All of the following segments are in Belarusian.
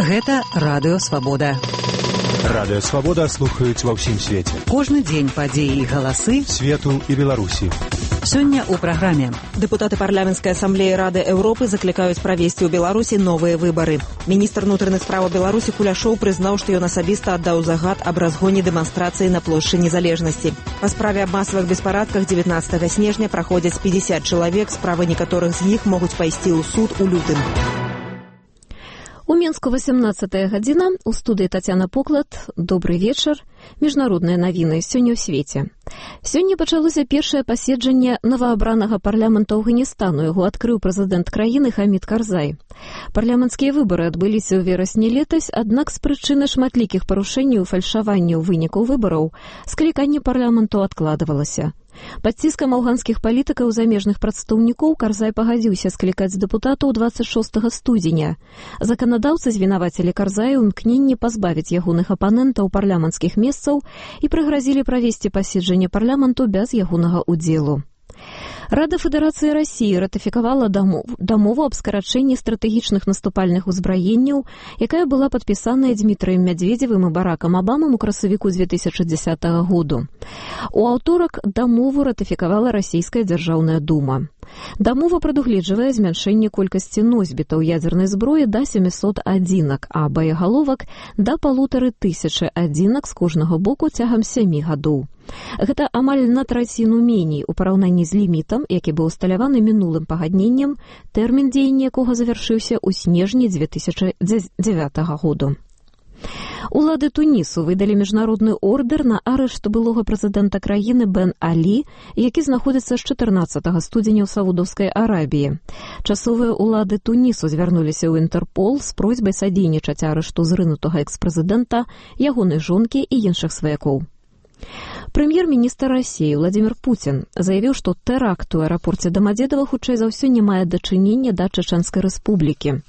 Гэта Радыё Свабода. Радыё Свабода слухаюць ва ўсім свеце. Кожны дзень падзеі і галасы свету і Беларусі. Сёння ў праграме. Дэпутаты парламенцкай асамблеі Рады Еўропы заклікаюць правесці ў Беларусі новыя выбары. Міністр унутраных справаў Беларусі Куляшоў прызнаў, што ён асабіста аддаў загад аб разгоне дэманстрацыі на плошчы Незалежнасці. Па справе аб масавых беспарадках 19 снежня праходзяць 50 чалавек, справы некаторых з іх могуць пайсці ў суд у лютым. У Мінску 18 гадзіна, у студыі Тацяна Поклад. Добры вечар. Міжнародныя навіны сёння ў свеце. Сёння пачалося першае паседжанне новаабранага парламента Афганістану. Яго адкрыў прэзідэнт краіны Хамід Карзай. Парламенцкія выбары адбыліся ў верасні летась, аднак з прычыны шматлікіх парушэнняў і фальшаванняў вынікаў выбараў скліканне парламенту адкладвалася. Пад ціскам афганскіх палітыкаў замежных прадстаўнікоў Карзай пагадзіўся склікаць дэпутатаў 26 студзеня. Заканадаўцы звінавацілі Карзая ў імкненні пазбавіць ягоных апанентаў парламенцкіх месцаў і прыгразілі правесці паседжанне парламенту без ягонага ўдзелу. Рада Федэрацыі Расіі ратыфікавала дамову аб скарачэнні стратэгічных наступальных узбраенняў, якая была падпісаная Дмітрыем Мядзведзевым і Баракам Абамам у красавіку 2010 году. У аўторак дамову ратыфікавала Расійская дзяржаўная дума. Дамова прадугледжвае змяншэнне колькасці носьбітаў ядзернай зброі да 700 адзінак, а баягаловак да 1500 адзінак з кожнага боку цягам 7 гадоў. Гэта амаль на траціну меней у параўнанні з лімітам, які быў усталяваны мінулым пагадненнем, тэрмін дзеяння якога завяршыўся ў снежні 2009 году. Улады Тунісу выдалі міжнародны ордэр на арышт былога прэзідэнта краіны Бен Алі, які знаходзіцца з 14 студзеня ў Саудаўскай Арабіі. Часовыя улады Тунісу звярнуліся ў Інтэрпол з просьбай садзейнічаць арышту зрынутага экс-прэзідэнта, ягонай жонкі і іншых сваякоў. Прэм'ер-міністр Расіі Владзімір Пуцін заявіў, што тэракт у аэрапорце Дамадзедава хутчэй за ўсё не мае дачынення да Чэчэнскай рэспублікі.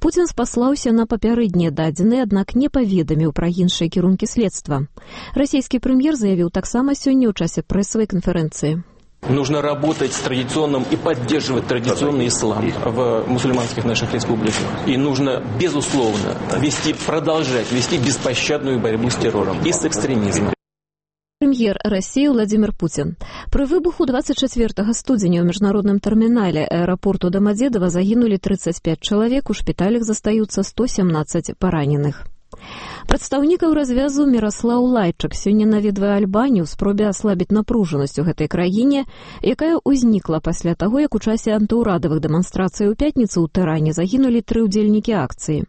Пуцін спаслаўся на папярэднія дадзеныя, аднак не паведаміў пра іншыя кірункі следства. Расійскі прэм'ер заявіў таксама сёння ў часе прэсавай канферэнцыі. Нужно работать с традиционным и поддерживать традиционный ислам в мусульманских наших республиках. И нужно, безусловно, продолжать вести беспощадную борьбу с террором и с экстремизмом. Прэм'ер Расіі Владзімір Пуцін. Пры выбуху 24 студзеня ў міжнародным тэрмінале аэрапорту Дамадзедава загінулі 35 чалавек, у шпіталях застаюцца 117 параненых. Прадстаўнікаў развязу Міраслаў Лайчак сёння наведвае Альбанію ў спробе аслабіць напружанасць у гэтай краіне, якая ўзнікла пасля таго, як у часе антыўрадавых дэманстрацый у пятніцу ў Тэране загінулі 3 удзельнікі акцыі.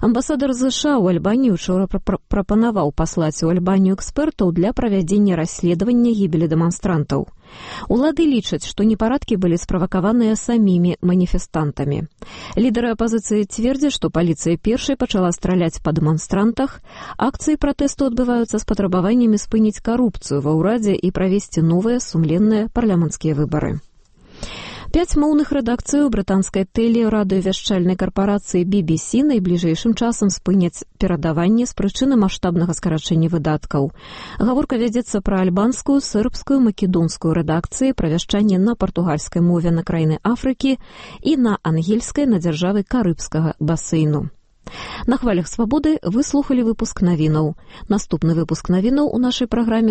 Амбасадар США ў Альбаніі учора прапанаваў паслаць у Альбанію экспертаў для правядзення расследавання гібелі дэманстрантаў. Улады лічаць, што непарадкі былі справакаваныя самімі маніфестантамі. Лідары апазіцыі цвердзяць, што паліцыя першай пачала страляць па дэманстрантах. Акцыі пратэсту адбываюцца з патрабаваннямі спыніць карупцыю ва ўрадзе і правесці новыя сумленныя парламенцкія выбары. 5 моўных рэдакцыяў брытанскай тэлерадыёвяшчальнай карпорацыі BBC найбліжэйшым часам спыняць перадаванне з прычыны маштабнага скарачэння выдаткаў. Гаворка вядзецца пра альбанскую, сербскую, македонскую рэдакцыі, пра вяшчанне на партугальскай мове на краіны Афрыкі і на ангельскай на дзяржавы карыбскага басейну. На хвалях свабоды вы слухалі выпуск навінаў. Наступны выпуск навінаў у нашай праграме